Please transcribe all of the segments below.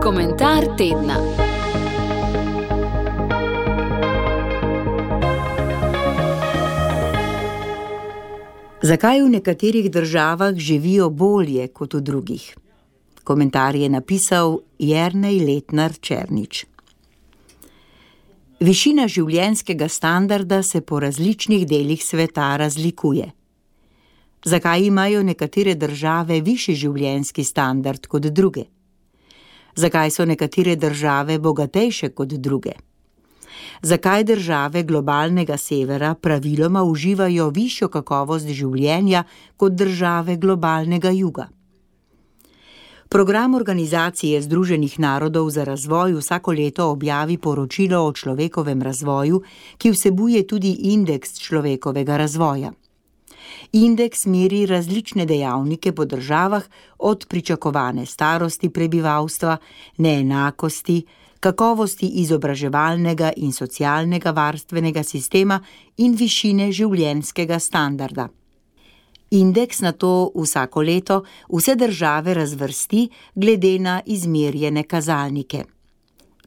Komentar tedna. Zakaj v nekaterih državah živijo bolje kot v drugih? Komentar je napisal Jernej Letnar Černič. Višina življenjskega standarda se po različnih delih sveta razlikuje. Zakaj imajo nekatere države višji življenjski standard kot druge? Zakaj so nekatere države bogatejše kot druge? Zakaj države globalnega severa praviloma uživajo višjo kakovost življenja kot države globalnega juga? Program Organizacije Združenih narodov za razvoj vsako leto objavi poročilo o človekovem razvoju, ki vsebuje tudi indeks človekovega razvoja. Indeks meri različne dejavnike po državah, od pričakovane starosti prebivalstva, neenakosti, kakovosti izobraževalnega in socialnega varstvenega sistema in višine življenjskega standarda. Indeks nato vsako leto vse države razvrsti glede na izmerjene kazalnike.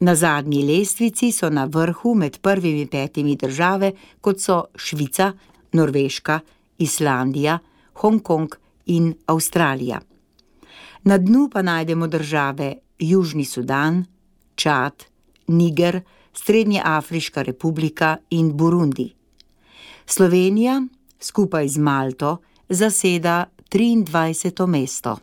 Na zadnji lestvici so na vrhu med prvimi 5 države, kot so Švica, Norveška, Islandija, Hongkong in Avstralija. Na dnu pa najdemo države Južni Sudan, Čad, Niger, Srednjeafriška republika in Burundi. Slovenija skupaj z Malto zaseda 23. mesto.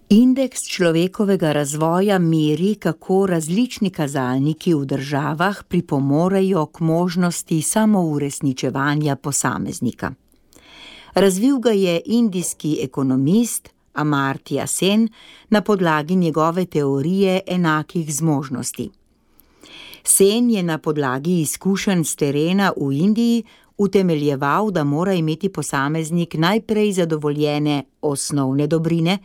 Indeks človekovega razvoja meri, kako različni kazalniki v državah pripomorejo k možnosti samouresničevanja posameznika. Razvil ga je indijski ekonomist Amartya Sen na podlagi njegove teorije enakih zmožnosti. Sen je na podlagi izkušenj s terena v Indiji utemeljeval, da mora imeti posameznik najprej zadovoljene osnovne dobrine,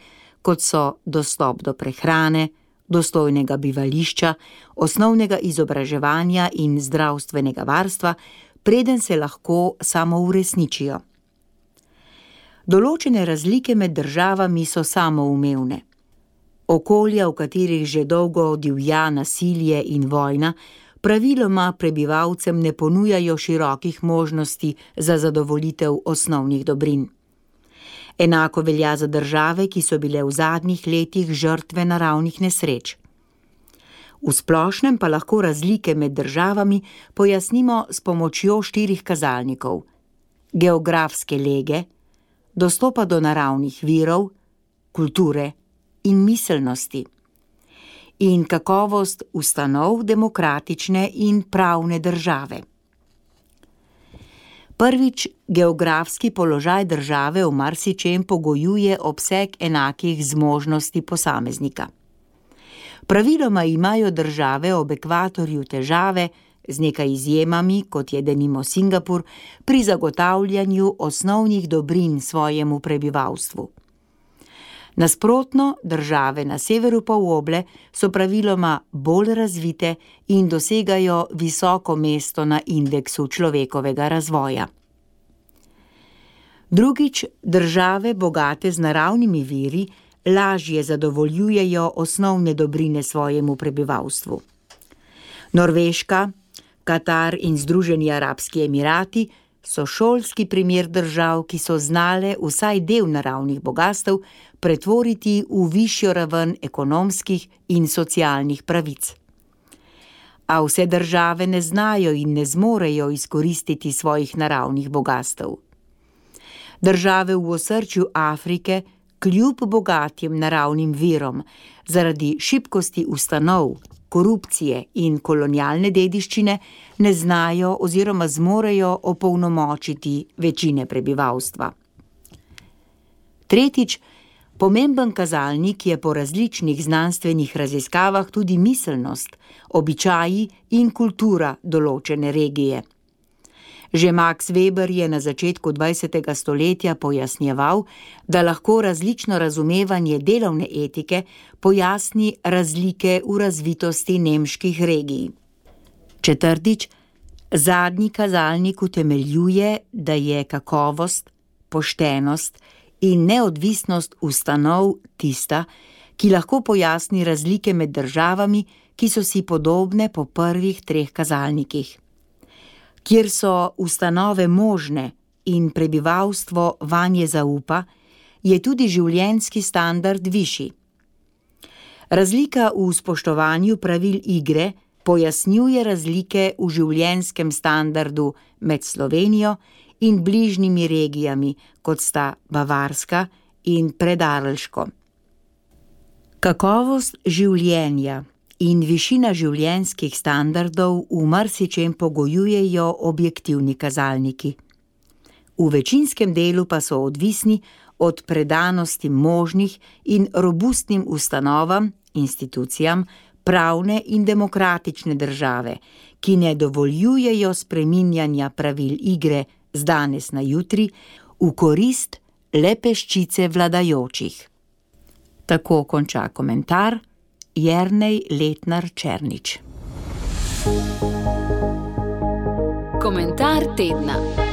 kot so dostop do prehrane, dostojnega bivališča, osnovnega izobraževanja in zdravstvenega varstva, preden se lahko samouresničijo. Določene razlike med državami so samoumevne. Okolja, v katerih že dolgo divja nasilje in vojna, praviloma prebivalcem ne ponujajo širokih možnosti za zadovoljitev osnovnih dobrin. Enako velja za države, ki so bile v zadnjih letih žrtve naravnih nesreč. V splošnem pa lahko razlike med državami pojasnimo s pomočjo 4 kazalnikov: geografske lege, dostopa do naravnih virov, kulture in miselnosti in kakovost ustanov demokratične in pravne države. Prvič, geografski položaj države v marsičem pogojuje obseg enakih zmožnosti posameznika. Praviloma imajo države ob ekvatorju težave, z nekaj izjemami, kot je denimo Singapur, pri zagotavljanju osnovnih dobrin svojemu prebivalstvu. Nasprotno, države na severu poloble so praviloma bolj razvite in dosegajo visoko mesto na indeksu človekovega razvoja. Drugič, države bogate z naravnimi viri lažje zadovoljujejo osnovne dobrine svojemu prebivalstvu. Norveška, Katar in Združeni arabski emirati so šolski primer držav, ki so znale vsaj del naravnih bogastev pretvoriti v višjo raven ekonomskih in socialnih pravic. A vse države ne znajo in ne zmorejo izkoristiti svojih naravnih bogastev. Države v osrčju Afrike, kljub bogatim naravnim virom, zaradi šibkosti ustanov, korupcije in kolonialne dediščine ne znajo oziroma zmorejo opolnomočiti večine prebivalstva. Tretjič, pomemben kazalnik je po različnih znanstvenih raziskavah tudi miselnost, običaji in kultura določene regije. Že Max Weber je na začetku 20. stoletja pojasnjeval, da lahko različno razumevanje delovne etike pojasni razlike v razvitosti nemških regij. Četrtič, zadnji kazalnik utemeljuje, da je kakovost, poštenost in neodvisnost ustanov tista, ki lahko pojasni razlike med državami, ki so si podobne po prvih 3 kazalnikih. Kjer so ustanove možne in prebivalstvo vanje zaupa, je tudi življenjski standard višji. Razlika v spoštovanju pravil igre pojasnjuje razlike v življenjskem standardu med Slovenijo in bližnjimi regijami, kot sta Bavarska in Predarlško. Kakovost življenja in višina življenjskih standardov v marsičem pogojujejo objektivni kazalniki. V večinskem delu pa so odvisni od predanosti možnih in robustnim ustanovam, institucijam, pravne in demokratične države, ki ne dovoljujejo spreminjanja pravil igre z danes na jutri v korist le peščice vladajočih. Tako konča komentar Jernej Letnar Černič. Komentar tedna.